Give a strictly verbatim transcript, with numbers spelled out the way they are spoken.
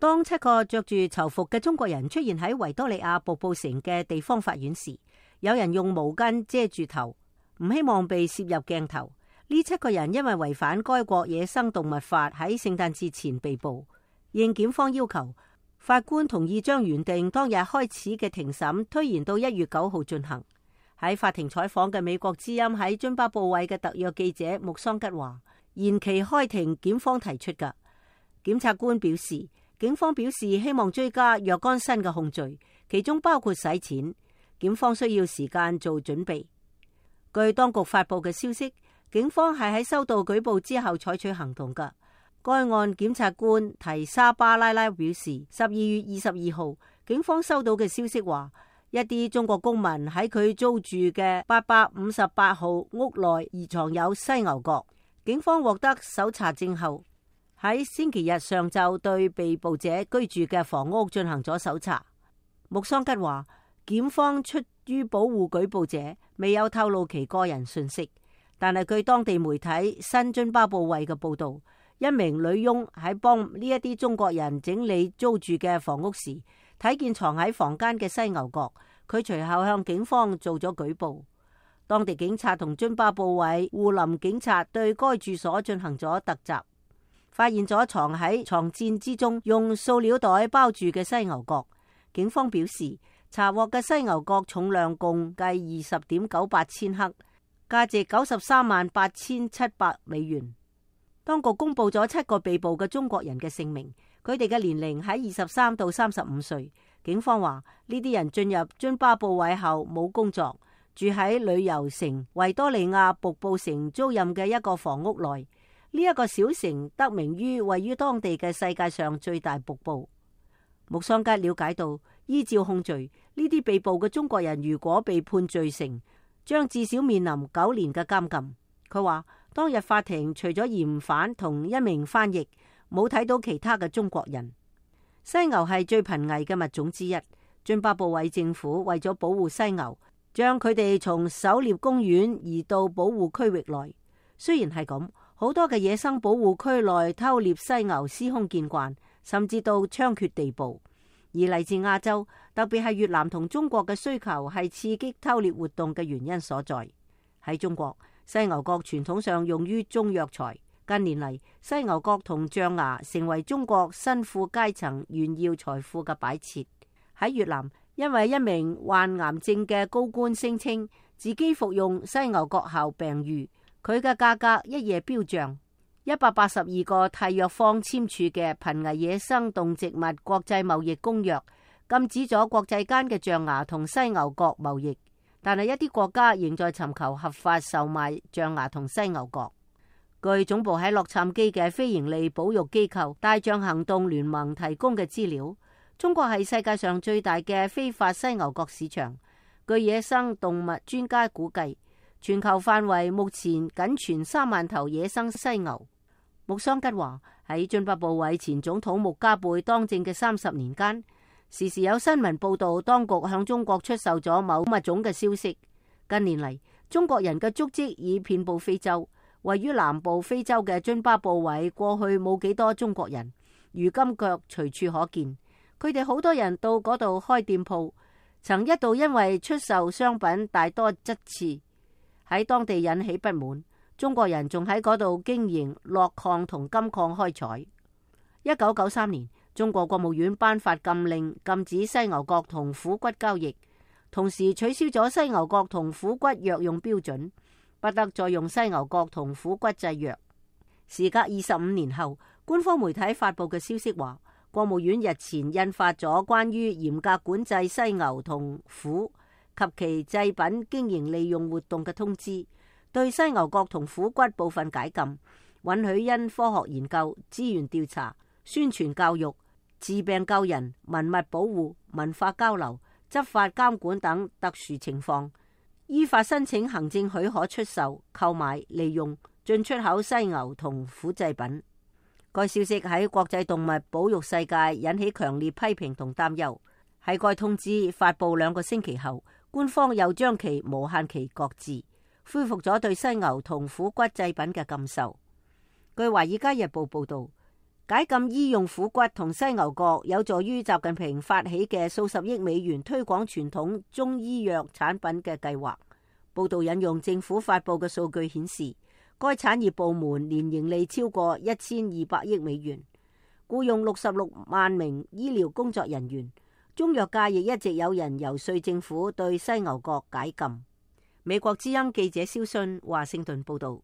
當七個着住囚服嘅中國人出現喺維多利亞瀑布城嘅地方法院時，有人用毛巾遮住頭，唔希望被攝入鏡頭。呢七個人因為違反該國野生動物法，喺聖誕節前被捕。應檢方要求，法官同意將原定當日開始嘅庭審推延到一月九號進行。喺法庭採訪嘅美國之音喺津巴布韋嘅特約記者穆桑吉話，延期開庭檢方提出㗎。檢察官表示，警方表示希望追加若干新嘅控罪，其中包括洗錢。檢方需要時間做準備。據當局發佈嘅消息，警方係喺收到舉報之後採取行動㗎。該案檢察官提沙巴拉拉表示，十二月二十二號，警方收到嘅消息話，一啲中國公民喺佢租住嘅八百五十八號屋內疑藏有犀牛角。警方獲得搜查證後，喺星期日上晝對被捕者居住嘅房屋進行咗搜查。穆桑吉話，檢方出於保護舉報者，未有透露其個人信息，但係據當地媒體新津巴布韋嘅報道，一名女傭喺幫呢一啲中國人整理租住嘅房屋時，睇見藏喺房間嘅犀牛角，佢隨後向警方做咗舉報。當地警察同津巴布韋護林警察對該住所進行咗突襲，發現咗藏喺床墊之中用塑料袋包住嘅犀牛角。警方表示，查獲嘅犀牛角重量共計二十點九八千克，價值九十三萬八千七百美元。當局公布咗七個被捕嘅中國人嘅姓名，佢哋嘅年齡喺二十三到三十五歲。警方話呢啲人進入津巴布韋後冇工作，住喺旅遊城維多利亞瀑布城租賃嘅一個房屋內。呢、這、一個小城得名於位於當地嘅世界上最大瀑布。穆桑吉了解到，依照控罪，呢啲被捕嘅中國人如果被判罪成，將至少面臨九年嘅監禁。佢話當日法庭除咗嫌犯同一名翻譯，冇睇到其他嘅中國人。犀牛係最瀕危嘅物種之一，津巴布韋政府為咗保護犀牛，將佢哋從狩獵公園移到保護區域內。雖然係咁，好多嘅野生保護區內偷獵犀牛司空見慣，甚至到猖獗地步。而嚟自亞洲，特別係越南同中國嘅需求係刺激偷獵活動嘅原因所在。喺中國，犀牛角傳統上用於中藥材。近年嚟，犀牛角同象牙成為中國新富階層炫耀財富嘅擺設。喺越南，因為一名患癌症嘅高官聲稱自己服用犀牛角後病愈，佢嘅價格一夜飆漲。一百八十二個締約方簽署嘅瀕危野生動植物國際貿易公約，禁止咗國際間嘅象牙同犀牛角貿易，但係一啲國家仍在尋求合法售賣象牙同犀牛角。據總部喺洛杉磯嘅非營利保育機構大象行動聯盟提供嘅資料，中國係世界上最大嘅非法犀牛角市場。據野生動物專家估計，全球範圍目前僅存三萬頭野生犀牛。穆桑吉話喺津巴布韋前總統穆加貝當政嘅三十年間，時時有新聞報道當局向中國出售咗某物種嘅消息。近年嚟，中國人嘅足跡已遍布非洲。位於南部非洲嘅津巴布韋過去冇幾多中國人，如今腳隨處可見。佢哋好多人到嗰度開店鋪，曾一度因為出售商品大多質次，喺當地引起不滿。中國人仲喺嗰度經營鉬礦同金礦開採。一九九三年，中國國務院頒發禁令，禁止犀牛角同虎骨交易，同時取消咗犀牛角同虎骨藥用標準，不得再用犀牛角同虎骨製藥。時隔二十五年後，官方媒體發佈嘅消息話，國務院日前印發咗關於嚴格管制犀牛同虎及其製品經營利用活動嘅通知，對犀牛角同虎骨部分解禁，允許因科學研究、資源調查、宣傳教育、治病救人、文物保護、文化交流、執法監管等特殊情況，依法申請行政許可出售、購買、利用、進出口犀牛同虎製品。該消息喺國際動物保育世界引起強烈批評同擔憂。喺該通知發佈兩個星期後，官方又將其無限期擱置，恢復咗對犀牛同虎骨製品嘅禁售。據《華爾街日報》報道，解禁醫用虎骨同犀牛角，有助於習近平發起嘅數十億美元推廣傳統中醫藥產品嘅計劃。報道引用政府發佈嘅數據顯示，該產業部門年盈利超過一千二百億美元，僱用六十六萬名醫療工作人員。中藥界亦一直有人游說政府對犀牛角解禁。美國之音記者蕭信華盛頓報道。